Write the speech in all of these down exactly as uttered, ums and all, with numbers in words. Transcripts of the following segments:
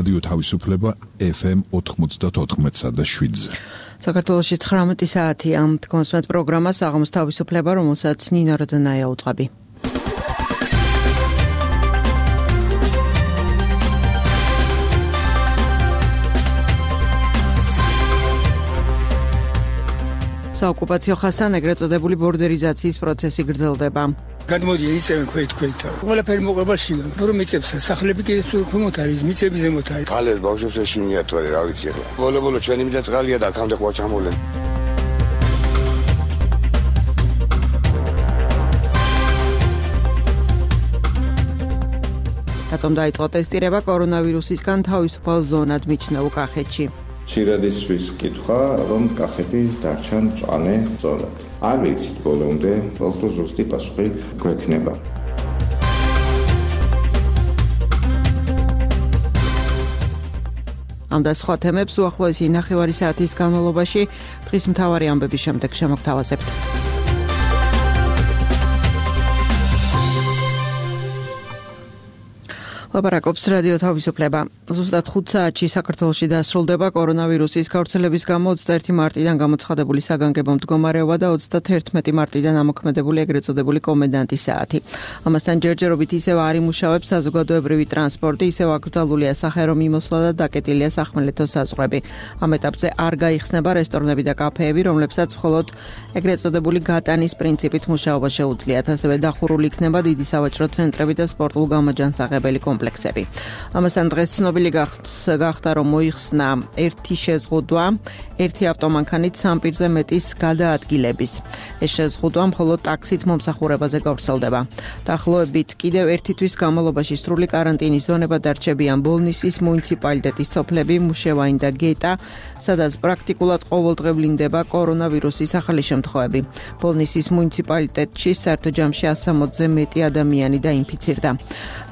რადიო თავისუფლება ეფ ემ ოთხმოცდაოთხ და შვიდზე. საქართველოში ცხრამეტი საათია. კონსმეთ პროგრამა საღამოს თავისუფლება, რომელსაც ნინო როდონაია უწყები. საოკუპაციო ხაზთან ეგრეთ წოდებული ბორდერიზაციის პროცესი გრძელდება. გადმოდიან იწევენ ქვეთ ქვეთა. ყველაფერი მოყვებაში, რომ მიწებს სახლები კიდე თუ ქვემოთ არის, მიწები ზემოთ არის. ქალებს ბავშვებს ეშინიათ ვარ, რა ვიცი ახლა. ბოლო-ბოლო ჩვენი მიდა წყალია და აქამდე ხო ჩამოვლენ. რატომ დაიწყო ტესტირება კორონავირუსისგან თავისუფალ ზონად მიჩნეულ კახეთში? ხშირად ისვის კითხვა, რომ კახეთი დარჩა მწვანე ზონად. არ ვიცით ბოლომდე, უფრო ზუსტი პასუხი გვექნება. ამ და სხვა თემებს უახლოესი ნახევარი საათის განმავლობაში დღის მთავარი ამბების შემდეგ შემოგთავაზებთ. ლაპარაკობს რადიო თავისუფლება. ზუსტად ხუთ საათში საქართველოში დასრულდება კორონავირუსის გავრცელების გამო ოცდაერთი მარტიდან გამოცხადებული საგანგებო მდგომარეობა და ოცდათერთმეტი მარტიდან ამოქმედებული ეგრეთ წოდებული კომენდანტის საათი. ამასთან ჯერჯერობით ისევ არ იმუშავებს საზოგადოებრივი ტრანსპორტი, ისევ აკრძალულია სახერო მიმოსვლა და დაკეტილია სახმელეთო საზღვრები. ამ ეტაპზე არ გაიხსნება რესტორნები და კაფეები, რომლებსაც მხოლოდ ეგრეთ წოდებული გატანის პრინციპით მუშაობა შეუძლიათ. ასევე დახურული იქნება დიდი სავაჭრო ცენტრები და სპორტულ გამაჯანსაღებელი კომპლექსები. ამასთან დღეს ცნობილი გახდა, რომ მოიხსნა ერთი შეზღუდვა, ერთი ავტომანქანით სამ პირზე მეტის გადაადგილების. ეს შეზღუდვა მხოლოდ ტაქსით მომსახურებაზე გავრცელდება. დაახლოებით კიდევ ერთი თვის განმავლობაში სრული კარანტინის ზონება დარჩებიან ბოლნისის მუნიციპალიტეტის სოფლები მუშევანი და გეტა, სადაც პრაქტიკულად ყოველდღივლინდება კორონავირუსის ახალი შემთხვევები. ბოლნისის მუნიციპალიტეტში საერთო ჯამში ასამოცზე მეტი ადამიანი დაინფიცირდა.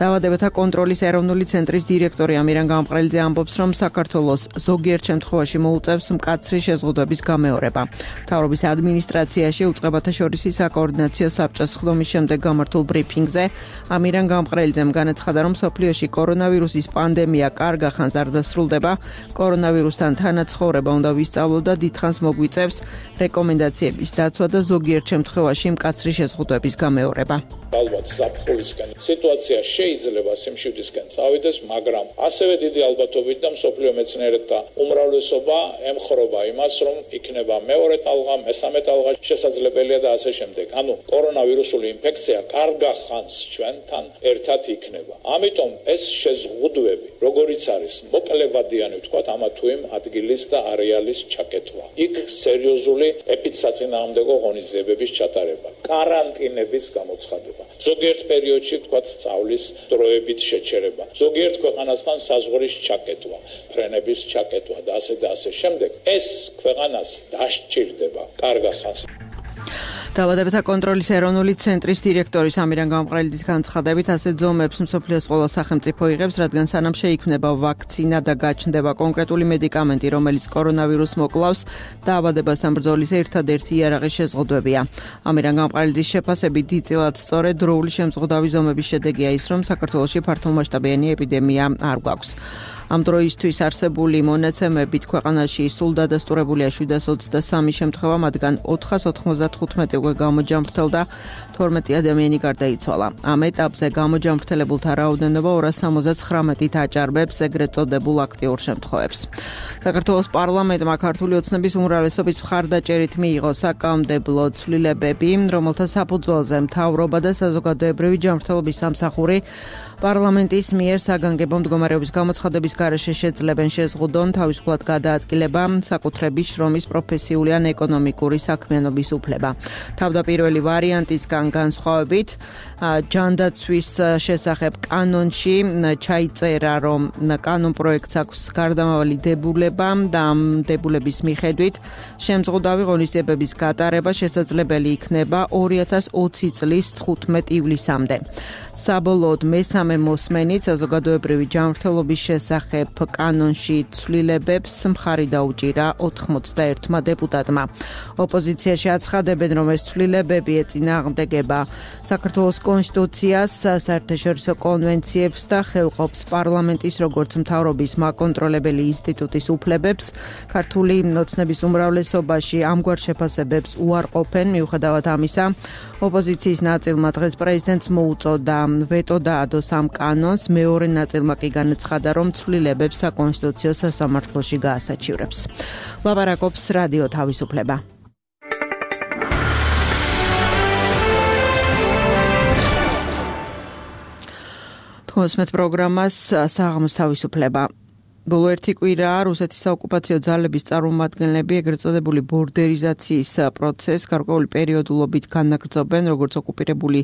დაავადებათა კონტროლის ეროვნული ცენტრის დირექტორი ამირან გამყრელიძე ამბობს, რომ საქართველოს ზოგიერთ შემთხვევაში მოუწევს მკაცრი შეზღუდვების გამეორება. მთავრობის ადმინისტრაციაში უწყებათა შორისი საკოორდინაციო საბჭოს ხდომის შემდეგ გამართულ ბრიფინგზე ამირან გამყრელიძემ განაცხადა, რომ მსოფლიოში კორონავირუსის პანდემია კარგ ახანს არ დასრულდება, კორონავირუსთან თანაცხოვრება უნდა ვისწავლოთ და დიდხანს მოგვიწევს რეკომენდაციების დაცვა და ზოგიერთ შემთხვევაში მკაცრი შეზღუდვების გამეორება. ალბათ ზაფხულისგან სიტუაცია შეიძლება სიმშვიდისკენ წავიდეს, მაგრამ ასევე დიდი ალბათობით და მსოფლიო მეცნიერთა უმრავლესობა ემხრობა იმას, რომ იქნება მეორე ტალღა, მესამე ტალღა შესაძლებელია და ასე შემდეგ. ანუ კორონავირუსული ინფექცია კარგახანს ჩვენთან ერთად იქნება. ამიტომ ეს შეზღუდვები, როგორიც არის მოკლებადიანი ვთქვათ, ამა თუ იმ ადგილის და არეალის ჩაკეტვა. იქ სერიოზული ეპიდსაწინააღმდეგო ღონისძიებების ჩატარება, კარანტინების გამოცხადება. ზოგიერთ პერიოდში ვთქვათ სწავლის დროებით შეჩერება, ზოგიერთ ქვეყანასთან საზღვრის ჩაკეტვა, ფრენების ჩაკეტვა და ასე და ასე შემდეგ. ეს ქვეყანას დასჭირდება კარგახანს. დაავადებათა კონტროლის ეროვნული ცენტრის დირექტორის ამირან გამყრელიძის განცხადებით, ასეთ ზომებს მსოფლიოს ყველა სახელმწიფო იღებს, რადგან სანამ შეიქმნება ვაქცინა და გაჩნდება კონკრეტული მედიკამენტი, რომელიც კორონავირუსს მოკლავს, დაავადებასთან ბრძოლის ერთადერთი იარაღი შეზღუდვებია. ამირან გამყრელიძის შეფასებით, დიდწილად სწორედ დროული შემზღუდავი ზომების შედეგია ის, რომ საქართველოში ფართომასშტაბიანი ეპიდემია არ გვაქვს. ამ დროისთვის არსებული მონაცემებით ქვეყანაში სულ დადასტურებულია შვიდას ოცდასამი შემთხვევა, მათგან ოთხას ოთხმოცდათხუთმეტი უკვე გამოჯამრთელდა, თორმეტი ადამიანი გარდაიცვალა. ამ ეტაპზე გამოჯამრთელებულთა რაოდენობა ორას სამოცდაცხრამეტით აჭარბებს ეგრეთ წოდებულ აქტიურ შემთხვევებს. საქართველოს პარლამენტმა ქართული ოცნების უმრავლესობის მხარდაჭერით მიიღო საკანონმდებლო ცვლილებები, რომელთა საფუძველზე მთავრობა და საზოგადოებრივი ჯანმრთელობის სამსახური პარლამენტის მიერ საგანგებო მდგომარეობის გამოცხადების გარეშე შეძლებენ შეზღუდონ თავისუფლად გადაადგილება, საკუთრების შრომის პროფესიული ან ეკონომიკური საქმიანობის უფლება. თავდაპირველი ვარიანტისგან განსხვავებით, ჯანდაცვის შესახებ კანონში ჩაიწერა, რომ კანონ პროექტს აქვს გარდამავალი დებულება და ამ დებულების მიხედვით შემზღუდავი ღონისძიებების გატარება შესაძლებელი იქნება ორი ათას ოცი წლის თხუთმეტ ივლისამდე. საბოლოოდ მესამე რამე მოსმენით საზოგადოებრივი ჯანმრთელობის შესახებ კანონში ცვლილებებს მხარი დაუჭირა ოთხმოცდაერთმა დეპუტატმა. ოპოზიციაში აცხადებენ, რომ ეს ცვლილებები ეწინააღმდეგება საქართველოს კონსტიტუციას, საერთაშორისო კონვენციებს და ხელყოფს პარლამენტის როგორც მთავრობის მაკონტროლებელი ინსტიტუტის უფლებებს. ქართული ოცნების უმრავლესობაში ამგვარ შეფასებებს უარყოფენ. მიუხედავად ამისა, ოპოზიციის ნაწილმა დღეს პრეზიდენტს მოუწოდა ვეტო დაადოს ამ კანონს, მეორე ნაწილმა კი განაცხადა, რომ ცვლილებებს საკონსტიტუციო სასამართლოში გაასაჩივრებს. ლაპარაკობს რადიო თავისუფლება. თქოსმეთ პროგრამას საღამოს თავისუფლება. ბოლო ერთი კვირა რუსეთის საოკუპაციო ძალების წარმომადგენლები ეგრეთ წოდებული ბორდერიზაციის პროცესს გარკვეული პერიოდულობით განაგრძობენ, როგორც ოკუპირებული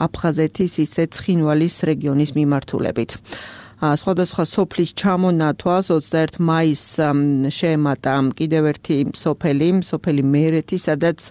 აფხაზეთის, ისე ცხინვალის რეგიონის მიმართულებით. სხვადასხვა სოფლის ჩამონათვალს ოცდაერთი მაისს შეემატა კიდევ ერთი სოფელი, სოფელი მერეთი, სადაც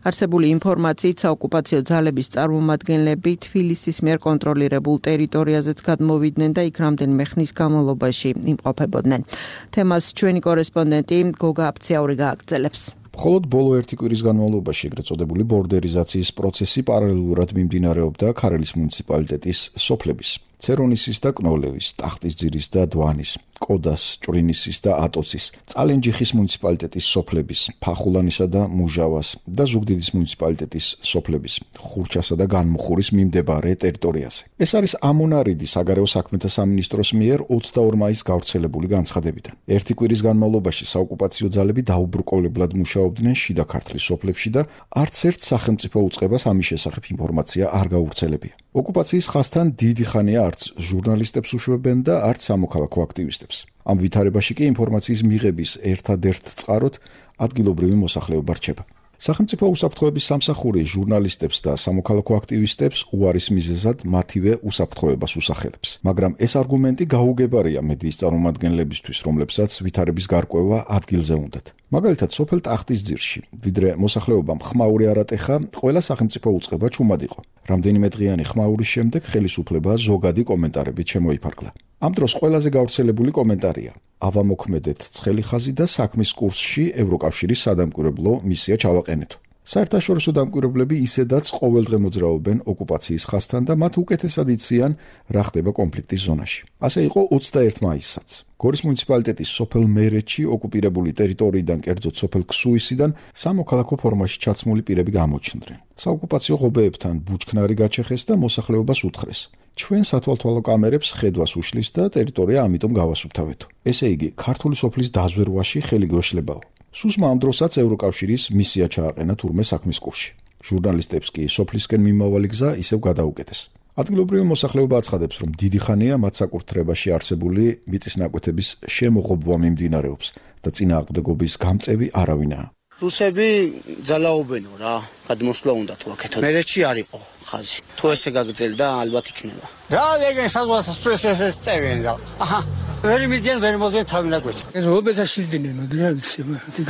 არსებული ინფორმაციით საოკუპაციო ძალების წარმომადგენლები თბილისის მიერ კონტროლირებულ ტერიტორიაზეც გადმოვიდნენ და იქ რამდენიმე ხნის განმავლობაში იმყოფებოდნენ. თემას ჩვენი კორესპონდენტი გოგა აფციაური გააგრძელებს. მხოლოდ ბოლო ერთი კვირის განმავლობაში ეგრეთ წოდებული ბორდერიზაციის პროცესი პარალელურად მიმდინარეობდა ქარელის მუნიციპალიტეტის სოფლების ცერონისის და კნოლევის, ტახტისძირის და დვანის, კოდას, ჭვრინისის და ატოცის, წალენჯიხის მუნიციპალიტეტის სოფლების, ფახულანისა და მუჟავას და ზუგდიდის მუნიციპალიტეტის სოფლების, ხურჩასა და განმუხურის მიმდებარე ტერიტორიაზე. ეს არის ამონარიდი საგარეო საქმეთა სამინისტროს მიერ ოცდაორი მაისს გავრცელებული განცხადებიდან. ერთი კვირის განმავლობაში საოკუპაციო ძალები დაუბრკოლებლად მუშაობდნენ შიდა ქართლის სოფლებში და არც ერთ სახელმწიფო უწყებას ამის შესახებ ინფორმაცია არ გაუვრცელებია. ოკუპაციის ხაზთან დიდი ხანია არც ჟურნალისტებს უშვებენ და არც სამოქალაქო აქტივისტებს. ამ ვითარებაში კი ინფორმაციის მიღების ერთადერთ წყაროდ ადგილობრივი მოსახლეობა რჩება. სახელმწიფო უსაფრთხოების სამსახური ჟურნალისტებს და სამოქალაქო აქტივისტებს უარის მიზეზად მათივე უსაფრთხოებას უსახელებს. მაგრამ ეს არგუმენტი გაუგებარია მედიის წარმომადგენლებისთვის, რომლებსაც ვითარების გარკვევა ადგილზე უნდათ. მაგალითად, სოფელ ტახტისძირში, ვიდრე მოსახლეობამ ხმაური არ ატეხა, ყველა სახელმწიფო უწყება ჩუმად იყო. რამდენიმე დღიანი ხმაურის შემდეგ ხელისუფლება ზოგადი კომენტარებით შემოიფარგლა. ამ დროს ყველაზე გავრცელებული კომენტარია: ავამოქმედეთ ცხელი ხაზი და საქმის კურსში ევროკავშირის სადამკვირვებლო მისია ჩავაყენეთო. საერთაშორისო დამკვირვებლები ისედაც ყოველდღე მოძრაობენ ოკუპაციის ხაზთან და მათ უკეთესად იციან, რა ხდება კონფლიქტის ზონაში. ასე იყო ოცდაერთი მაისსაც. გორის მუნიციპალიტეტის სოფელ მერეთში ოკუპირებული ტერიტორიიდან, კერძოდ სოფელ ქსუისიდან, სამოქალაქო ფორმაში ჩაცმული პირები გამოჩნდნენ. საოკუპაციო ღობეებთან ბუჩქნარი გაჩეხეს და მოსახლეობას უთხრეს: ჩვენ სათვალთვალო კამერებს ხედვას უშლის და ტერიტორია ამიტომ გავასუფთავეთო. ესე იგი, ქართული სოფლის დაზვერვაში ხელი გვეშლებაო. სუსმა ამ დროსაც ევროკავშირის მისია ჩააყენა თურმე საქმის კურსში. ჟურნალისტებს კი სოფლისკენ მიმავალი გზა ისევ გადაუკეტეს. ადგილობრივი მოსახლეობა აცხადებს, რომ დიდი ხანია მათ საკურთხევრებში არსებული მიწისნაკვეთების შემოღობვა მიმდინარეობს და წინააღმდეგობის გამწევი არავინაა. რუსები ძალაობენო რა, გადმოსვლა უნდა თუ აქეთო. მერეთში არ იყო ხაზი. თუ ესე გაგრძელდა, ალბათ იქნება. რა ეგენ საზღვარგარეთ პროცესს წევენ და აჰა ვერ მიდიან ვერ მოდიან თავინაკვეთი. ეს ობესა შილდინენ რა ვიცი.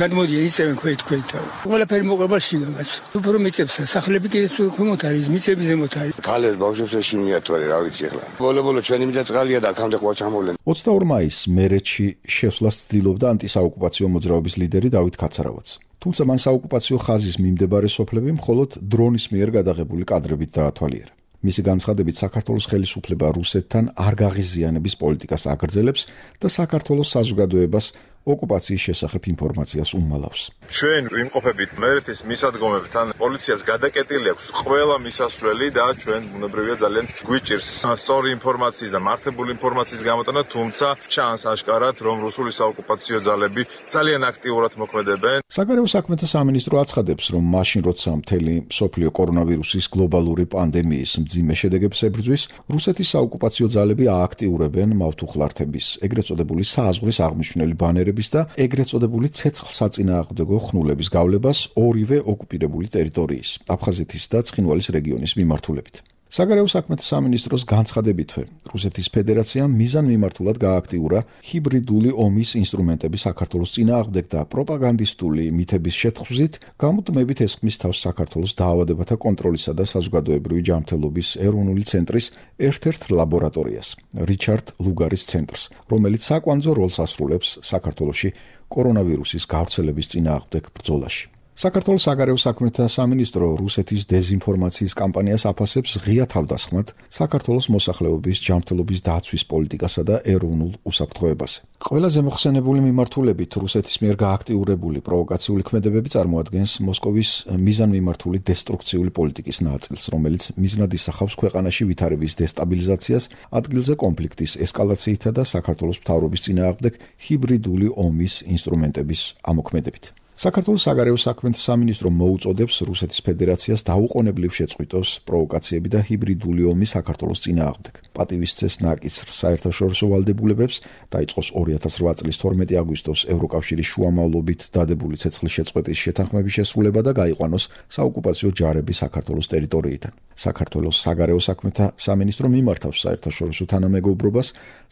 გადმოდიან იწევენ ქვეთ ქვეთ. ყველაფერი მოყვება შიგაგაც. უფრო მიწებს სახლები კიდე თუ ქვემოთ არის, მიწები ზემოთ არის. ქალებს ბავშვებს ეშინიათ ვარ რა ვიცი ახლა. ბოლო-ბოლო ჩვენი მიდა წყალია და აქამდე ყვა ჩამოვლენ. ოცდაორი მაისს მერეთში შესვლას ცდილობდა ანტისაოკუპაციო მოძრაობის ლიდერი დავით ქაცარავაც. თუმცა მან საოკუპაციო ხაზის მიმდებარე სოფლები მხოლოდ დრონის მიერ გადაღებული კადრებით დაათვალიერა. მისი განცხადებით, საქართველოს ხელისუფლება რუსეთთან არ გაღიზიანების პოლიტიკას აგრძელებს და საქართველოს საზოგადოებას ოკუპაციის შესახებ ინფორმაციას უმალავს. ჩვენ ვიმყოფებით მერეთის მისადგომებთან, პოლიციას გადაკეტილი აქვს ყველა მისასვლელი და ჩვენ ბუნებრივია ძალიან გვიჭირს სწორი ინფორმაციის და მართებული ინფორმაციის გამოტანა, თუმცა ჩანს აშკარად, რომ რუსული საოკუპაციო ძალები ძალიან აქტიურად მოქმედებენ. საგარეო საქმეთა სამინისტრო აცხადებს, რომ მაშინ როცა მთელი მსოფლიო კორონავირუსის გლობალური პანდემიის მძიმე შედეგებს ებრძვის, რუსეთის საოკუპაციო ძალები ააქტიურებენ მავთუხლართების, ეგრეთ წოდებული სააზღვრის აღმნიშვნელი ბანერების და ეგრეთ წოდებული ცეცხლსაწინააღმდეგო ხნულების გავლებას ორივე ოკუპირებული ტერიტორიის, აფხაზეთის და ცხინვალის რეგიონის მიმართულებით. საგარეო საქმეთა სამინისტროს განცხადებითვე, რუსეთის ფედერაციამ მიზანმიმართულად გააქტიურა ჰიბრიდული ომის ინსტრუმენტები საქართველოს წინააღმდეგ და პროპაგანდისტული მითების შეთხზვით გამუდმებით ესხმის თავს საქართველოს დაავადებათა კონტროლისა და საზოგადოებრივი ჯანმრთელობის ეროვნული ცენტრის ერთ-ერთ ლაბორატორიას, რიჩარდ ლუგარის ცენტრს, რომელიც საკვანძო როლს ასრულებს საქართველოში კორონავირუსის გავრცელების წინააღმდეგ ბრძოლაში. საქართველოს საგარეო საქმეთა სამინისტრო რუსეთის დეზინფორმაციის კამპანიას აფასებს ღია თავდასხმად საქართველოს მოსახლეობის ჯანმრთელობის დაცვის პოლიტიკასა და ეროვნულ უსაფრთხოებაზე. ყველაზე მოხსენებული მიმართულებით რუსეთის მიერ გააქტიურებული პროვოკაციული ქმედებები წარმოადგენს მოსკოვის მიზანმიმართული დესტრუქციული პოლიტიკის ნაწილს, რომელიც მიზნად ისახავს ქვეყანაში ვითარების დესტაბილიზაციას, ადგილზე კონფლიქტის ესკალაციითა და საქართველოს მთავრობის წინააღმდეგ ჰიბრიდული ომის ინსტრუმენტების ამოქმედებით. საქართველოს საგარეო საქმეთა სამინისტრო მოუწოდებს რუსეთის ფედერაციას დაუყოვნებლივ შეწყვიტოს პროვოკაციები და ჰიბრიდული ომი საქართველოს წინააღმდეგ. პატივისცეს ნაკისრ საერთაშორისო ვალდებულებებს, დაიწყოს ორი ათას რვა წლის თორმეტი აგვისტოს ევროკავშირის შუამავლობით დადებული ცეცხლის შეწყვეტის შეთანხმების შესრულება და გაიყვანოს საოკუპაციო ჯარები საქართველოს ტერიტორიიდან. საქართველოს საგარეო საქმეთა სამინისტრო მიმართავს საერთაშორისო თანამეგობრობას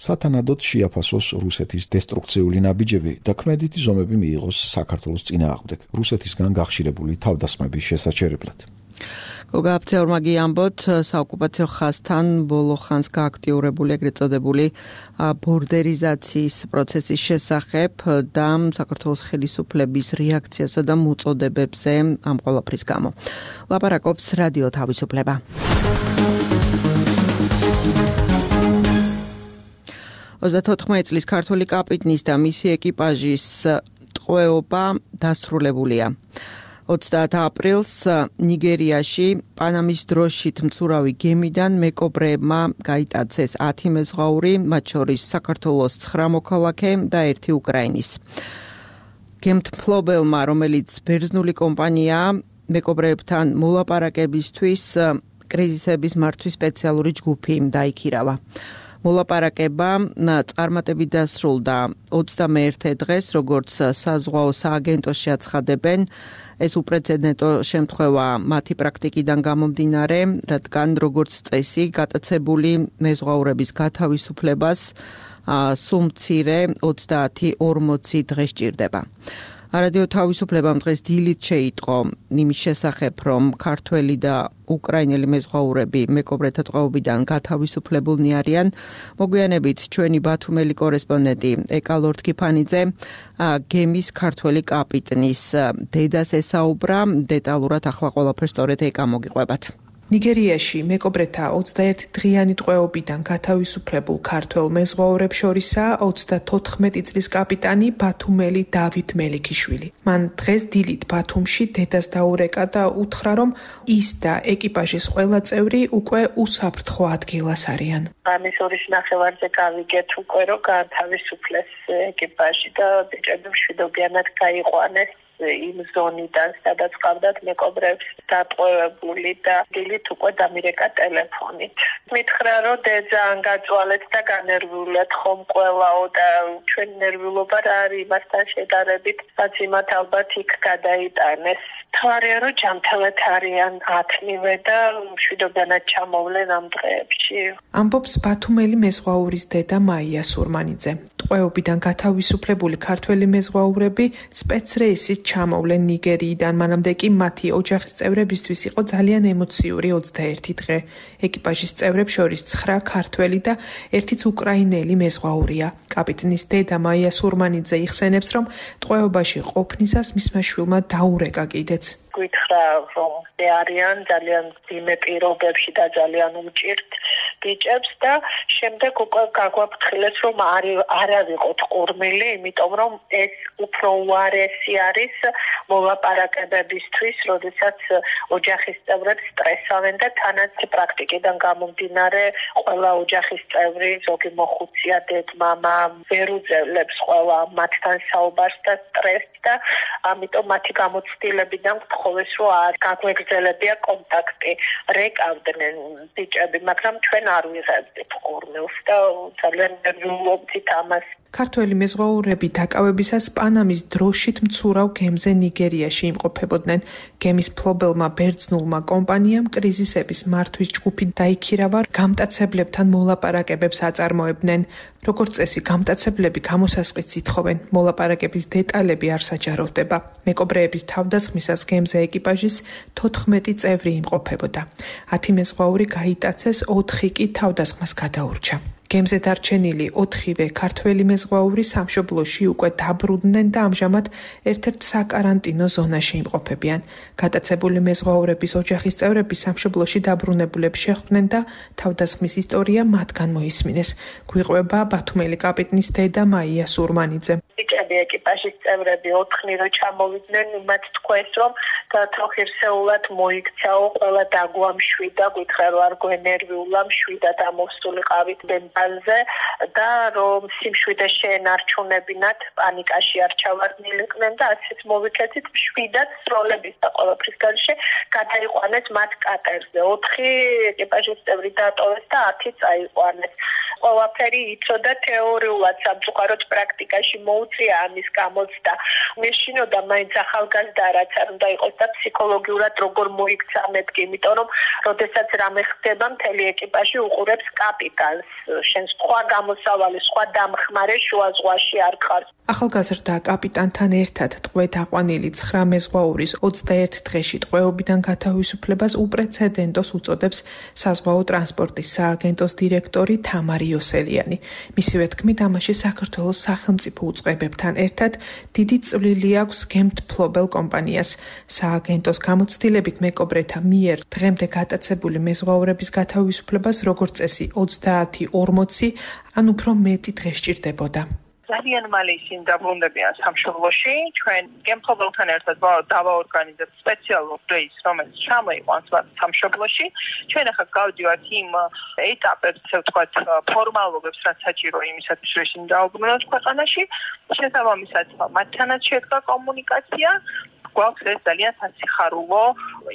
სათანადოდ შეაფასოს რუსეთის დესტრუქციული ნაბიჯები და ქმედითი ზომები მიიღოს საქართველოს წინააღმდეგ რუსეთისგან გახშირებული თავდასხმების შესაჩერებლად. გოგა აფცეორმაგი ამბოთ საოკუპაციო ხაზთან ბოლო ხანს გააქტიურებული ეგრეთ წოდებული ბორდერიზაციის პროცესის შესახებ და საქართველოს ხელისუფლების რეაქციასა და მოწოდებებზე ამ ყველაფრის გამო. ლაპარაკობს რადიო თავისუფლება. ოცდათოთხმეტი წლის ქართველი კაპიტნის და მისი ეკიპაჟის ტყვეობა დასრულებულია. ოცდაათ აპრილს ნიგერიაში პანამის დროშით მცურავი გემიდან მეკობრეებმა გაიტაცეს ათი მეზღვაური, მათ შორის საქართველოს ცხრა მოქალაქე და ერთი უკრაინის. გემთმფლობელმა, რომელიც ბერძნული კომპანიაა, მეკობრეებთან მოლაპარაკებისთვის კრიზისების მართვის სპეციალური ჯგუფი დაიქირავა. მოლაპარაკება წარმატებით დასრულდა ოცდამეერთე დღეს, როგორც საზღვაო სააგენტოში აცხადებენ. ეს უპრეცედენტო შემთხვევა მათი პრაქტიკიდან გამომდინარე, რადგან როგორც წესი გატაცებული მეზღვაურების გათავისუფლებას სულ მცირე ოცდაათი ორმოცი დღე სჭირდება. რადიო თავისუფლებამ დღეს დილით შეიტყო იმის შესახებ, რომ ქართველი და უკრაინელი მეზღვაურები მეკობრეთა ტყვეობიდან გათავისუფლებულნი არიან. მოგვიანებით ჩვენი ბათუმელი კორესპონდენტი ეკა ლორთქიფანიძე გემის ქართველი კაპიტნის დედას ესაუბრა. დეტალურად ახლა ყველაფერს სწორედ ეკა მოგიყვებათ. ნიგერიაში მეკობრეთა ოცდაერთი დღიანი ტყვეობიდან გათავისუფლებულ ქართველ მეზღვაურებს შორისაა ოცდათოთხმეტი წლის კაპიტანი ბათუმელი დავით მელიქიშვილი. მან დღეს დილით ბათუმში დედას დაურეკა და უთხრა, რომ ის და ეკიპაჟის ყველა წევრი უკვე უსაფრთხო ადგილას არიან. ამის ორის ნახევარზე გავიგეთ უკვე, რომ გათავისუფლეს ეკიპაჟი და ბიჭები მშვიდობიანად გაიყვანეს იმ ზონიდან, სადაც ყავდათ მეკობრეებს დატყვევებული და დილით უკვე დამირეკა ტელეფონით. მითხრა, რომ ძალიან გაწვალეთ და განერვიულეთ ხომ ყველაო და ჩვენ ნერვიულობა რა არის იმასთან შედარებით, რაც იმათ ალბათ იქ გადაიტანეს. თვარია, რომ ჯანმრთელად არიან ათნივე და მშვიდობიანად ჩამოვლენ ამ დღეებში. ამბობს ბათუმელი მეზღვაურის დედა მაია სურმანიძე. ტყვეობიდან გათავისუფლებული ქართველი მეზღვაურები სპეცრეისით ჩამოვლენ ნიგერიიდან, მანამდე კი მათი ოჯახის წევრებისთვის იყო ძალიან ემოციური ოცდაერთი დღე. ეკიპაჟის წევრებს შორის ცხრა ქართველი და ერთიც უკრაინელი მეზღვაურია. კაპიტნის დედა მაია სურმანიძე იხსენებს, რომ ტყვეობაში ყოფნისას მისმა შვილმა დაურეკა კიდეც. გითხრა, რომ არიან ძალიან ძიმე პირობებში და ძალიან უჭირთ ბიჭებს და შემდეგ უკვე გაგვაფრთხილეს, რომ არ ავიყოთ ყურმილი, იმიტომ რომ ეს უფრო უარესი არის მოლაპარაკებებისთვის, როდესაც ოჯახის წევრებს სტრესავენ და თანაც პრაქტიკიდან გამომდინარე ყველა ოჯახის წევრი, ზოგი მოხუცია, დედ-მამა ვერ უძლებს ყველა მათთან საუბარს და სტრესს და ამიტომ მათი გამოცდილებიდან გთხოვეს, რომ არ გაგვეგრძელებია კონტაქტი. რეკავდნენ ბიჭები, მაგრამ ჩვენ არ ვიღებდით ყურმილს და ძალიან ნერვიულობდით ამას. ქართველი მეზღვაურები დაკავებისას პანამის დროშით მცურავ გემზე ნიგერიაში იმყოფებოდნენ. გემის ფლობელმა ბერძნულმა კომპანიამ კრიზისების მართვის ჯგუფი დაიქირავა, გამტაცებლებთან მოლაპარაკებებს აწარმოებდნენ. როგორც წესი, გამტაცებლები გამოსასყიდს ითხოვენ, მოლაპარაკების დეტალები არ საჯაროვდება. მეკობრეების თავდასხმისას გემზე ეკიპაჟის თოთხმეტი წევრი იმყოფებოდა. ათი მეზღვაური გაიტაცეს, ოთხი კი თავდასხმას გადაურჩა. გემზე დარჩენილი ოთხივე ქართველი მეზღვაური სამშობლოში უკვე დაბრუნდნენ და ამჟამად ერთ-ერთ საკარანტინო ზონაში იმყოფებიან. გატაცებული მეზღვაურების ოჯახის წევრები სამშობლოში დაბრუნებულებს შეხვდნენ და თავდასხმის ისტორია მათგან მოისმინეს. გვიყვება ბათუმელი კაპიტნის დედა მაია სურმანიძე. ბიჭები ეკიპაჟის წევრები ოთხნი რო ჩამოვიდნენ, მათ თქვეს რომ თოხირსეულად მოიქცაო, ყველა დაგვამშვიდა, გითხრა რომ არ გვენერვიულა, მშვიდად ამოვსულიყავით ბენბანზე და რომ სიმშვიდე შეენარჩუნებინათ, პანიკაში არ ჩავარდნილიყვნენ და ასეც მოვიქეცით მშვიდად სროლების და ყველაფრის გარშე გადაიყვანეთ მათ კატერზე. ოთხი ეკიპაჟის წევრი დატოვეს და ათი წაიყვანეს. ყველაფერი იცოდა თეორიულად, სამწუხაროდ პრაქტიკაში მოუწია ამის გამოცდა. მეშინოდა მაინც ახალგაზრდა რაც არ უნდა იყოს და ფსიქოლოგიურად როგორ მოიქცა მეთქი, იმიტომ რომ როდესაც რამე ხდება, მთელი ეკიპაჟი უყურებს კაპიტანს. შენ სხვა გამოსავალი, სხვა დამხმარე შუა ზღვაში არ ხარ. ახალგაზრდა კაპიტანთან ერთად ტყვედ აყვანილი ცხრა მეზღვაურის ოცდაერთ დღეში ტყვეობიდან გათავისუფლებას უპრეცედენტოს უწოდებს საზღვაო ტრანსპორტის სააგენტოს დირექტორი თამარი იოსელიანი. მისივე თქმით, ამაში საქართველოს სახელმწიფო უწყებებთან ერთად დიდი წვლილი აქვს გემთფლობელ კომპანიას. სააგენტოს გამოცდილებით მეკობრეთა მიერ დღემდე გატაცებული მეზღვაურების გათავისუფლებას როგორც წესი ოცდაათი ორმოცი ან უფრო მეტი დღე სჭირდებოდა. ძალიან მალე ისინი დაბრუნდებიან სამშობლოში. ჩვენ გემთფლობელთან ერთად დავაორგანიზებთ სპეციალურ რეისს, რომელიც ჩამოიყვანს მათ სამშობლოში. ჩვენ ახლა გავდივართ იმ ეტაპებს, ასე ვთქვათ, ფორმალობებს, რაც საჭიროა იმისათვის, რომ ისინი დაუბრუნოთ ქვეყანაში. შესაბამისად, მათთანაც შედგა კომუნიკაცია. გვაქვს ეს ძალიან სასიხარულო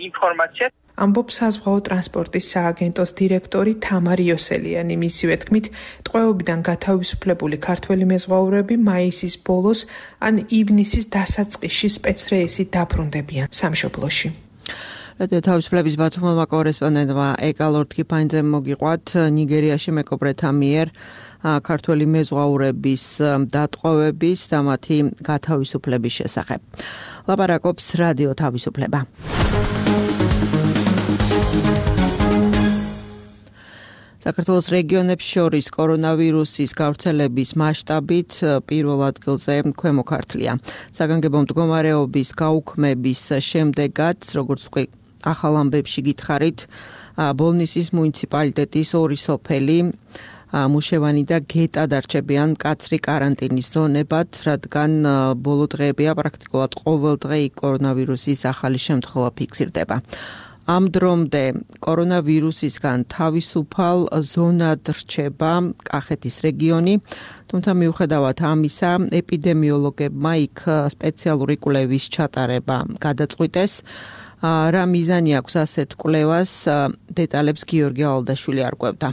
ინფორმაცია. ამბობს საზღვაო ტრანსპორტის სააგენტოს დირექტორი თამარი იოსელიანი. მისივე თქმით, ტყვეობიდან გათავისუფლებული ქართველი მეზღვაურები მაისის ბოლოს ან ივნისის დასაწყისში სპეცრეისით დაბრუნდებიან სამშობლოში. თავისუფლების ბათუმელმა კორესპონდენტმა ეკალორდ კიფაინძემ მოგიყვათ ნიგერიაში მეკობრეთა მიერ ქართველი მეზღვაურების დატყვევების და მათი გათავისუფლების შესახებ. ლაპარაკობს რადიო თავისუფლება. საქართველოს რეგიონებს შორის კორონავირუსის გავრცელების მასშტაბით პირველ ადგილზე ქვემო ქართლია. საგანგებო მდგომარეობის გაუქმების შემდეგაც, როგორც უკვე ახალ ამბებში გითხარით, ბოლნისის მუნიციპალიტეტის ორი სოფელი მუშევანი და გეტა დარჩებიან მკაცრი კარანტინის ზონებად, რადგან ბოლო დღეებია პრაქტიკულად ყოველ დღე კორონავირუსის ახალი შემთხვევა ფიქსირდება. ამ დრომდე კორონავირუსისგან თავისუფალ ზონად რჩება კახეთის რეგიონი, თუმცა მიუხედავად ამისა, ეპიდემიოლოგებმა იქ სპეციალური კვლევის ჩატარება გადაწყვიტეს. რა მიზანი აქვს ასეთ კვლევას, დეტალებს გიორგი ალდაშვილი არკვევდა.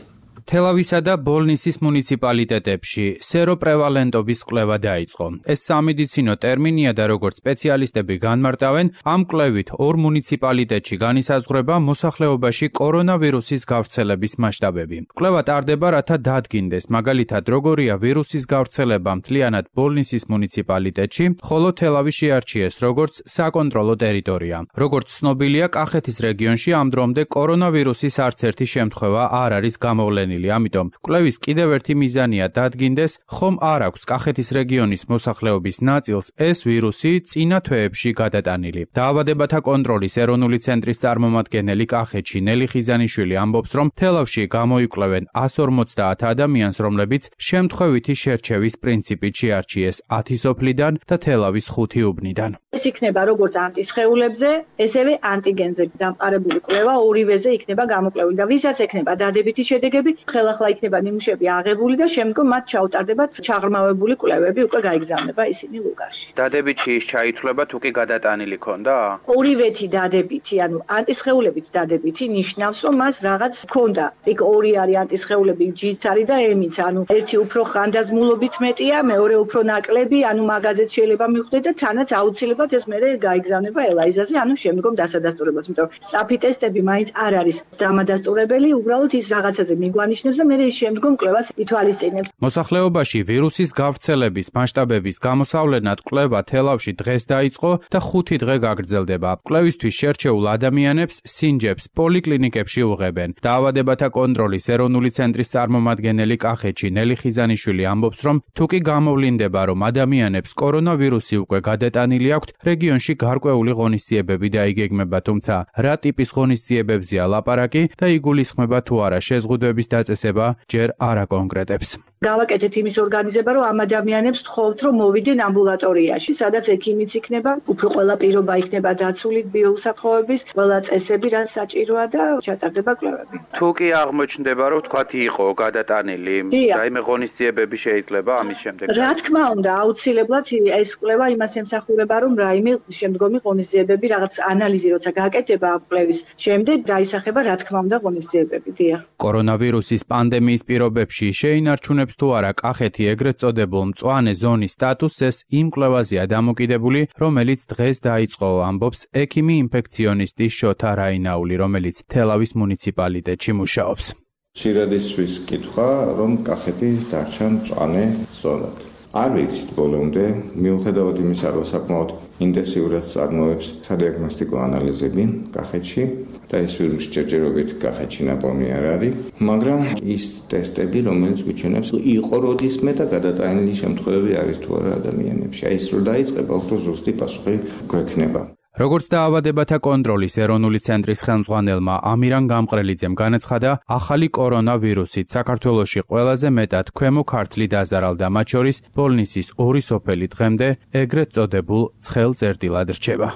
თელავისა და ბოლნისის მუნიციპალიტეტებში სეროპრევალენტობის კვლევა დაიწყო. ეს სამედიცინო ტერმინია და როგორც სპეციალისტები განმარტავენ, ამ კვლევით ორ მუნიციპალიტეტში განისაზღვრება მოსახლეობაში კორონავირუსის გავრცელების მასშტაბები. კვლევა ტარდება, რათა დადგინდეს, მაგალითად, როგორია ვირუსის გავრცელება მთლიანად ბოლნისის მუნიციპალიტეტში, ხოლო თელავი შეარჩიეს როგორც საკონტროლო ტერიტორია. როგორც ცნობილია, კახეთის რეგიონში ამ დრომდე კორონავირუსის არც ერთი შემთხვევა არ არის გამოვლენილი. ამიტომ კვლევის კიდევ ერთი მიზანია დადგინდეს, ხომ არ აქვს კახეთის რეგიონის მოსახლეობის ნაწილს ეს ვირუსი წინა თვეებში გადატანილი. დაავადებათა კონტროლის ეროვნული ცენტრის წარმომადგენელი კახეთში ნელი ხიზანიშვილი ამბობს, რომ თელავში გამოიკვლევენ εκατს ორმოცდაათ ადამიანს, რომლებიც შემთხვევითი შერჩევის პრინციპით შეარჩიეს ათი სოფლიდან და თელავის ხუთი უბნიდან. ეს იქნება როგორც ანტისხეულებზე, ესევე ანტიგენზე დამყარებული კვლევა ორივეზე იქნება გამოკვლევილი და ვისაც ექნება დადებითი შედეგები, ხელახლა იქნება ნიმუშები აღებული და შემდგომ მათ ჩაუტარდებათ ჩაღრმავებული კვლევები, უკვე გაიგზავნება ისინი ლუგარში. დადებითი ის ჩაითვლება თუ კი გადატანილი ქონდა? ორივეთი დადებითი, ანუ ანტისხეულებით დადებითი ნიშნავს, რომ მას რაღაც ქონდა. იქ ორი არის ანტისხეულები, ჯით არის და ემიც, ანუ ერთი უფრო ხანდაზმულობით მეტია, მეორე უფრო ნაკლები, ანუ მაგაზეც შეიძლება მივხვდეთ და თანაც აუცილებლად ეს მერე გაიგზავნება ელაიზაზე, ანუ შემდგომ დასადასტურებლად, იმიტომ რომ სწრაფი ტესტები მაინც არ არის დამადასტურებელი, უბრალოდ ის რაღაცაზე მიგვანიშნებს და მერე შემდგომ კვლევას ითვალისწინებს. მოსახლეობაში ვირუსის გავრცელების მასშტაბების გამოსავლენად კვლევა თელავში დღეს დაიწყო და ხუთი დღე გაგრძელდება. კვლევისთვის შერჩეულ ადამიანებს სინჯებს პოლიკლინიკებში უღებენ. დაავადებათა კონტროლის ეროვნული ცენტრის წარმომადგენელი კახეთში ნელი ხიზანიშვილი ამბობს, რომ თუ კი გამოვლინდება, რომ ადამიანებს კორონავირუსი უკვე გადატანილი აქვთ, რეგიონში გარკვეული ღონისძიებები დაიგეგმება, თუმცა რა ტიპის ღონისძიებებზეა ლაპარაკი და იგულისხმება თუ არა შეზღუდვების დაწესება, ჯერ არ აკონკრეტებს. გავაკეთეთ იმის ორგანიზება, რომ ამ ადამიანებს თხოვთ, რომ მოვიდნენ ამბულატორიაში, სადაც ექიმიც იქნება, უფრო ყველა პირობა იქნება დაცული ბიოუსაფრთხოების, ყველა წესები რაც საჭიროა და ჩატარდება კვლევები. თუ კი აღმოჩნდება, რომ თქვათ იყო გადატანილი, რაიმე ღონისძიებები შეიძლება ამის შემდეგ. რა თქმა უნდა, აუცილებლად ეს კვლევა იმას ემსახურება, რომ რაიმე შემდგომი ღონისძიებები, რაღაც ანალიზი როცა გააკეთება ამ კვლევის შემდეგ, დაისახება რა თქმა უნდა ღონისძიებები. დიახ. კორონავირუსის პანდემიის პირობებში შეინარჩუნებს თუ არა კახეთი ეგრეთ წოდებულ მწვანე ზონის სტატუსს იმ კვლევაზეა დამოკიდებული, რომელიც დღეს დაიწყო, ამბობს ექიმი ინფექციონისტი შოთა რაინაული, რომელიც თელავის მუნიციპალიტეტში მუშაობს. ხშირად ისვის კითხვა, რომ კახეთი დარჩა მწვანე ზონად. არ ვიცით ბოლომდე, მიუხედავად იმისა, რომ საკმაოდ ინტენსიურად წარმოებს სადიაგნოსტიკო ანალიზები კახეთში და ეს ვირუსი ჯერჯერობით კახეთში ნაპოვნი არ არის, მაგრამ ის ტესტები, რომელიც გვიჩვენებს, იყო როდისმე და გადატანილი შემთხვევები არის თუ არა ადამიანებში. აი ეს რო დაიწყება, უფრო ზუსტი პასუხი გვექნება. როგორც დაავადებათა კონტროლის ეროვნული ცენტრის ხელმძღვანელმა ამირან გამყრელიძემ განაცხადა, ახალი კორონავირუსით საქართველოში ყველაზე მეტად ქვემო ქართლი დაზარალდა, მათ შორის ბოლნისის ორი სოფელი დღემდე ეგრეთ წოდებულ ცხელ წერტილად რჩება.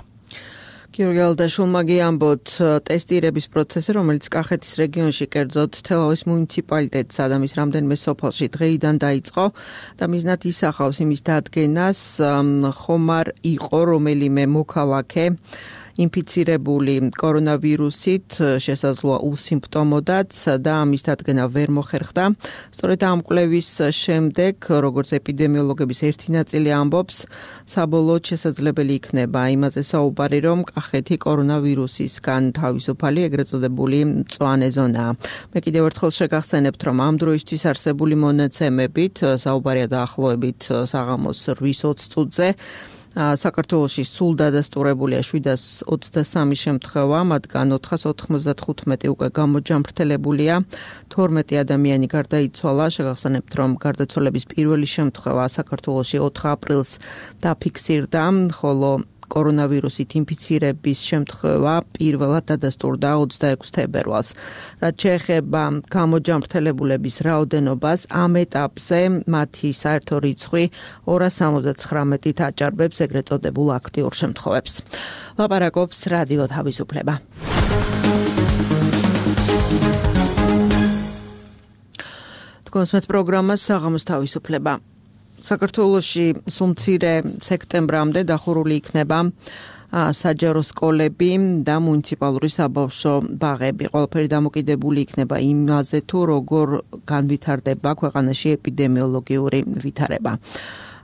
გიორგი ალდაშულმა გიამბოთ ტესტირების პროცესი, რომელიც კახეთის რეგიონში კერძოდ თელავის მუნიციპალიტეტსა და მის რამდენიმე სოფელში დღეიდან დაიწყო და მიზნად ისახავს იმის დადგენას, ხომ არ იყო რომელიმე მოქალაქე ინფიცირებული კორონავირუსით, შესაძლოა უსიმპტომოდაც და ამის დადგენა ვერ მოხერხდა. სწორედ ამ კვლევის შემდეგ, როგორც ეპიდემიოლოგების ერთი ნაწილი ამბობს, საბოლოოდ შესაძლებელი იქნება იმაზე საუბარი, რომ კახეთი კორონავირუსისგან თავისუფალი ეგრეთ წოდებული მწვანე ზონაა. მე კიდევ ერთხელ შეგახსენებთ, რომ ამ დროისთვის არსებული მონაცემებით, საუბარია დაახლოებით საღამოს რვის ოცი წუთზე, საქართველოში სულ დადასტურებულია შვიდას ოცდასამი შემთხვევა, მათგან ოთხას ოთხმოცდახუთმეტი უკვე გამოჯამრთელებულია, თორმეტი ადამიანი გარდაიცვალა. შეგახსენებთ, რომ გარდაცვალების პირველი შემთხვევა საქართველოში ოთხ აპრილს დაფიქსირდა, ხოლო კორონავირუსით ინფიცირების შემთხვევა პირველად დადასტურდა ოცდაექვსი თებერვალს. რაც შეეხება გამოჯამრთელებულების რაოდენობას, ამ ეტაპზე მათი საერთო რიცხვი ორას სამოცდათხრამეტით აჭარბებს ეგრეთ წოდებულ აქტიურ შემთხვევებს. ლაპარაკობს რადიო თავისუფლება. თქვენს პროგრამას საღამოს თავისუფლება. საქართველოში სულ მცირე სექტემბრამდე დახურული იქნება საჯარო სკოლები და მუნიციპალური საბავშვო ბაღები. ყველაფერი დამოკიდებული იქნება იმაზე, თუ როგორ განვითარდება ქვეყანაში ეპიდემიოლოგიური ვითარება.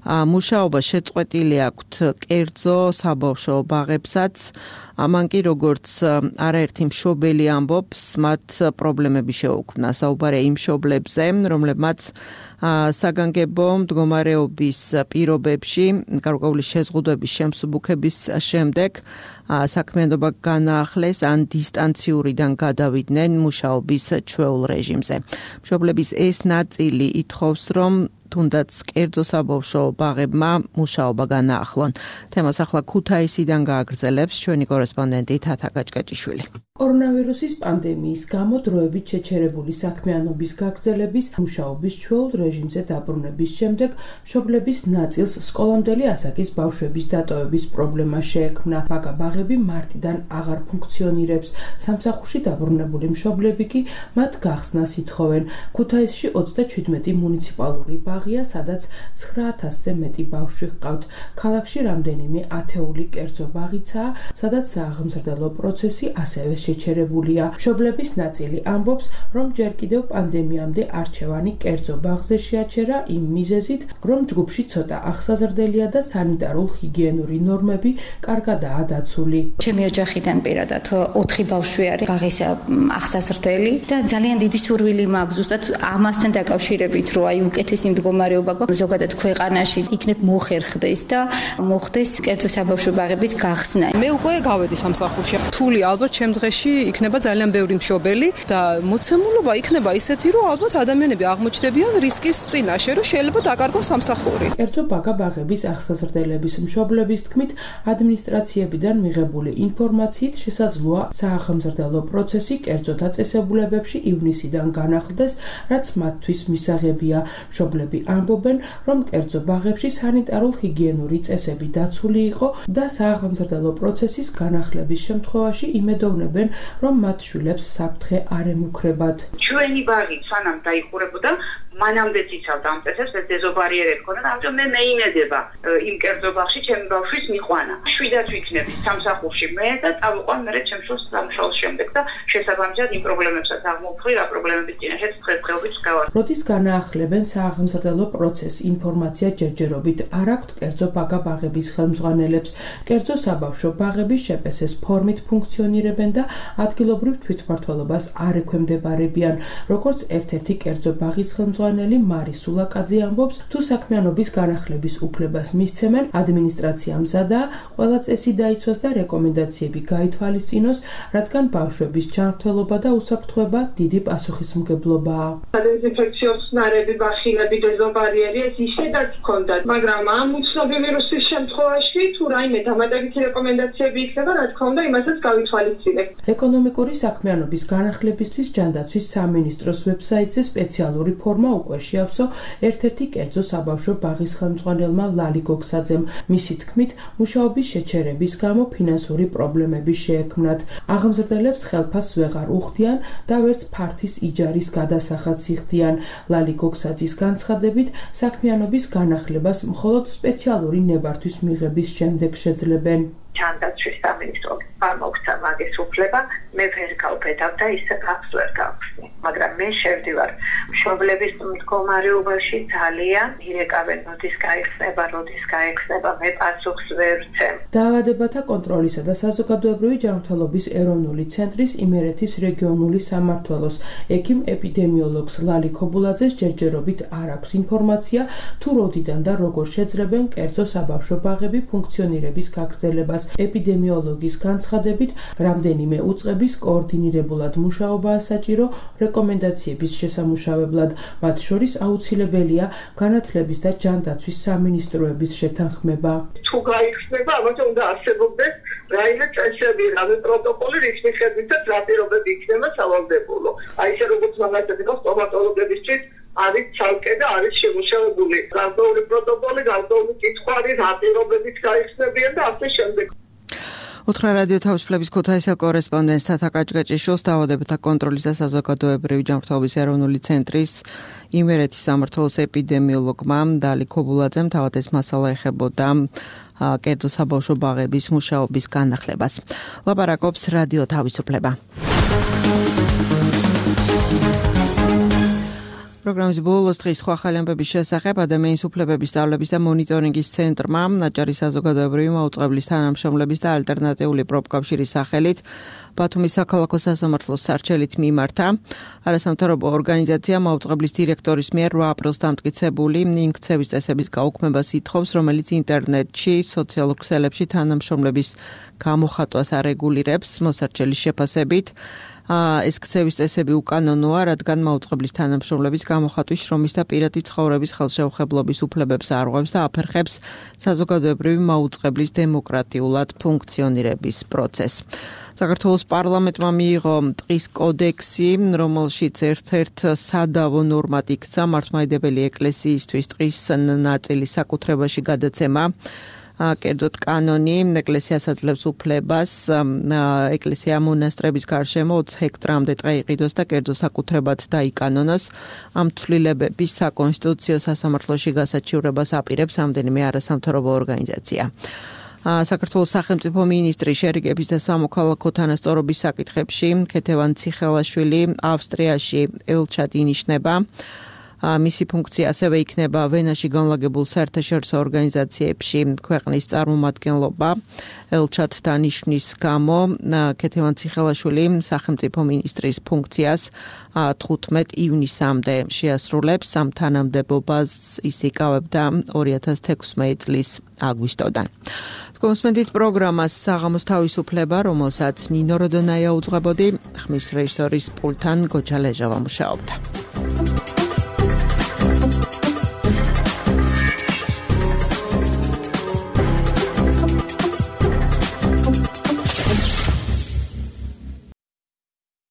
მუშაობა შეწყვეტილი აქვთ კერძო საბავშვო ბაღებსაც. ამან კი როგორც არაერთი მშობელი ამბობს, მათ პრობლემები შეუქმნა. საუბარია იმ მშობლებზე, რომლებმაც საგანგებო მდგომარეობის პირობებში გარკვეული შეზღუდვების შემსუბუქების შემდეგ საქმიანობა განაახლეს ან დისტანციურიდან გადავიდნენ მუშაობის ჩვეულ რეჟიმზე. მშობლების ეს ნაწილი ითხოვს, რომ თუნდაც კერძო საბავშვო ბაღებმა მუშაობა განაახლონ. თემას ახლა ქუთაისიდან გააგრძელებს ჩვენი კორესპონდენტი თათა გაჭკაჭიშვილი. კორონავირუსის პანდემიის გამო დროებით შეჩერებული საქმიანობის გაგრძელების მუშაობის ჩვეულ რეჟიმზე დაბრუნების შემდეგ მშობლების ნაწილს სკოლამდელი ასაკის ბავშვების დატოვების პრობლემა შეექმნა. ბაგა-ბაღები მარტიდან აღარ ფუნქციონირებს. სამსახურში დაბრუნებული მშობლები კი მათ გახსნას ითხოვენ. ქუთაისში ოცდაჩვიდმეტი მუნიციპალური ბაღია, სადაც ცხრა ათასზე მეტი ბავშვი ჰყავთ. ქალაქში რამდენიმე ათეული კერძო ბაღიცაა, სადაც სააღმზრდელო პროცესი ასევე შეჩერებულია. მშობლების ნაწილი ამბობს, რომ ჯერ კიდევ პანდემიამდე არჩევანი კერძო ბაღზე შეაჩერა იმ მიზეზით, რომ ჯგუფში ცოტა აღსაზრდელია და სანიტარულ-ჰიგიენური ნორმები კარგადაა დაცული. ჩემი ოჯახიდან პირადად ოთხი ბავშვი არის ბაღის აღსაზრდელი და ძალიან დიდი სურვილი მაქვს ზუსტად ამასთან დაკავშირებით, რომ აი უკეთესი მდგომარეობა გვაქვს ზოგადად ქვეყანაში იქნებ მოხერხდეს და მოხდეს კერძო საბავშვო ბაღების გახსნა. მე უკვე გავედი სამსახურში. რთული ალბათ ჩემ დღეში იქნება ძალიან ბევრი მშობელი და მოცემულობა იქნება ისეთი, რომ ალბათ ადამიანები აღმოჩნდებიან რისკის წინაშე, რომ შეიძლება დაკარგოს სამსახური. კერძო ბაგა-ბაღების აღსაზრდელების მშობლების თქმით, ადმინისტრაციებიდან მიღებული ინფორმაციით შესაძლოა სააღმზრდელო პროცესი კერძო დაწესებულებებში ივნისიდან განახლდეს, რაც მათთვის მისაღებია. მშობლები ამბობენ, რომ კერძო ბაღებში სანიტარულ-ჰიგიენური წესები დაცული იყო და სააღმზრდელო პროცესის განახლების შემთხვევაში იმედოვნებენ, რომ მათ შვილებს საფრთხე არ ემუქრებათ. ჩვენი ბაღი სანამ დაიხურებოდა, მანამდე იცავდა ამ წესებს, ეს დეზობარიერები ჰქონდა და ამიტომ მე მეიმედება იმ კერძო ბაღში ჩემი ბავშვის მიყვანა. შვიდაც ვიქნები სამსახურში მე და წავიყვან მე ჩემ შვილს სამშაბათს შემდეგ და შესაბამისად იმ პრობლემებსაც აღმოვხრი, რა პრობლემების წინაშეც დღესდღეობით გავარ. როდის განაახლებენ სააღმზრდელო პროცესს, ინფორმაცია ჯერჯერობით არ აქვთ კერძო ბაგა-ბაღების ხელმძღვანელებს. კერძო საბავშვო ბაღები შპს-ის ფორმით ფუნქციონირებენ და ადგილობრივ თვითმმართველობას არ ექვემდებარებიან. როგორც ერთ-ერთი კერძო ბაღის ხელმძღვანელი მარი სულაკაძე ამბობს, თუ საქმიანობის განახლების უფლებას მისცემენ, ადმინისტრაცია მზადაა ყველა წესი დაიცვას და რეკომენდაციები გაითვალისწინოს, რადგან ბავშვების ჯანმრთელობა და უსაფრთხოება დიდი პასუხისმგებლობაა. დეზინფექციო ხსნარები, ბახილები, დეზობარიერი ეს ისედაც ჰქონდათ, მაგრამ ამ უცნობი ვირუსის შემთხვევაში თუ რაიმე დამატებითი რეკომენდაციები იქნება, რა თქმა უნდა, იმასაც გავითვალისწინებთ. ეკონომიკური საქმიანობის განახლებისთვის ჯანდაცვის სამინისტროს ვებსაიტზე სპეციალური ფორმა უკვე შეავსო ერთ-ერთი კერძო საბავშვო ბაღის ხელმძღვანელმა ლალი გოგსაძემ. მისი თქმით, მუშაობის შეჩერების გამო ფინანსური პრობლემები შეექმნათ. აღმზრდელებს ხელფასს ვეღარ უხდიან და ვერც ფართის იჯარის გადასახადს იხდიან. ლალი გოგსაძის განცხადებით, საქმიანობის განახლებას მხოლოდ სპეციალური ნებართვის მიღების შემდეგ შეძლებენ. ჯანდაცვის სამინისტრომ არ მოგცა მაგის უფლება, მე ვერ გავბედავ და ისე ფაქტს ვერ გავხსნი. მაგრამ მე შევდივარ მშობლების მდგომარეობაში ძალიან ირეკავენ, როდის გაიხსნება, როდის გაიხსნება, მე პასუხს ვერ ვცემ. დაავადებათა კონტროლისა და საზოგადოებრივი ჯანმრთელობის ეროვნული ცენტრის იმერეთის რეგიონული სამმართველოს ექიმ ეპიდემიოლოგს ლალი ქობულაძეს ჯერჯერობით არ აქვს ინფორმაცია, თუ როდიდან და როგორ შეძლებენ კერძო საბავშვო ბაღები ფუნქციონირების გაგრძელებას. ეპიდემიოლოგის განცხადებით, რამდენიმე უწყების კოორდინირებულად მუშაობაა საჭირო რეკომენდაციების შესამუშავებლად, მათ შორის აუცილებელია განათლების და ჯანდაცვის სამინისტროების შეთანხმება. თუ გაიხსნება, ამაზე უნდა არსებობდეს რაიმე წესები, რამე პროტოკოლი, რის მიხედვითაც რა პირობები იქნება სავალდებულო. აი ესე როგორც მაგალითად იყო სტომატოლოგებისთვის არის ცალკე და არის შემუშავებული გარკვეული პროტოკოლი, გარკვეული კითხვარი, რა პირობებით გაიხსნებიან და ასე შემდეგ. უთხრა რადიო თავისუფლების ქუთაისელ კორესპონდენტს თათა კაჭკაჭიშვილს დაავადებათა კონტროლის და საზოგადოებრივი ჯანმრთელობის ეროვნული ცენტრის იმერეთის სამმართველოს ეპიდემიოლოგმა ლალი ქობულაძემ თავად ეს მასალა ეხებოდა კერძო საბავშვო ბაღების მუშაობის განახლებას. ლაპარაკობს რადიო თავისუფლება. პროგრამის ბოლოს დღის სხვა ახალი ამბების შესახებ ადამიანის უფლებების სწავლების და მონიტორინგის ცენტრმა ნაჭარი საზოგადოებრივი მაუწყებლის თანამშრომლების და ალტერნატიული პროფკავშირის სახელით ბათუმის საქალაქო სასამართლოს სარჩელით მიმართა. არასამთავრობო ორგანიზაცია მაუწყებლის დირექტორის მიერ რვა აპრილს დამტკიცებული ინქცევის წესების გაუქმებას ითხოვს, რომელიც ინტერნეტში, სოციალურ ქსელებში თანამშრომლების გამოხატვას არეგულირებს. მოსარჩელის შეფასებით ეს ქცევის წესები უკანონოა, რადგან მაუწყებლის თანამშრომლების გამოხატვის შრომის და პირადი ცხოვრების ხელშეუხებლობის უფლებებს არღვევს და აფერხებს საზოგადოებრივი მაუწყებლის დემოკრატიულად ფუნქციონირების პროცესს. საქართველოს პარლამენტმა მიიღო ტყის კოდექსი, რომელშიც ერთ-ერთ სადავო ნორმად იქცა მართლმადიდებელი ეკლესიისთვის ტყის ნაწილის საკუთრებაში გადაცემა. კერძოდ კანონი ეკლესიას აძლევს უფლებას ეკლესია მონასტრების გარშემო ოცი ჰექტრამდე ტყე იყიდოს და კერძო საკუთრებად დაიკანონოს. ამ ცვლილებების საკონსტიტუციო სასამართლოში გასაჩივრებას აპირებს რამდენიმე არასამთავრობო ორგანიზაცია. საქართველოს სახელმწიფო მინისტრი შერიგების და სამოქალაქო თანასწორობის საკითხებში ქეთევან ციხელაშვილი ავსტრიაში ელჩად ინიშნება. მისი ფუნქცია ასევე იქნება ვენაში განლაგებულ საერთაშორისო ორგანიზაციებში ქვეყნის წარმომადგენლობა. ელჩად დანიშნვის გამო ქეთევან ციხელაშვილი სახელმწიფო მინისტრის ფუნქციას თხუთმეტ ივნისამდე შეასრულებს. ამ თანამდებობას ის იკავებდა ორი ათას თექვსმეტი წლის აგვისტოდან. კონსმენდით პროგრამას საღამოს თავისუფლება, რომელსაც ნინო როდონაია უძღვებოდი, ხმის რეჟისორის პულთან გოჩა ლეჟავა მუშაობდა.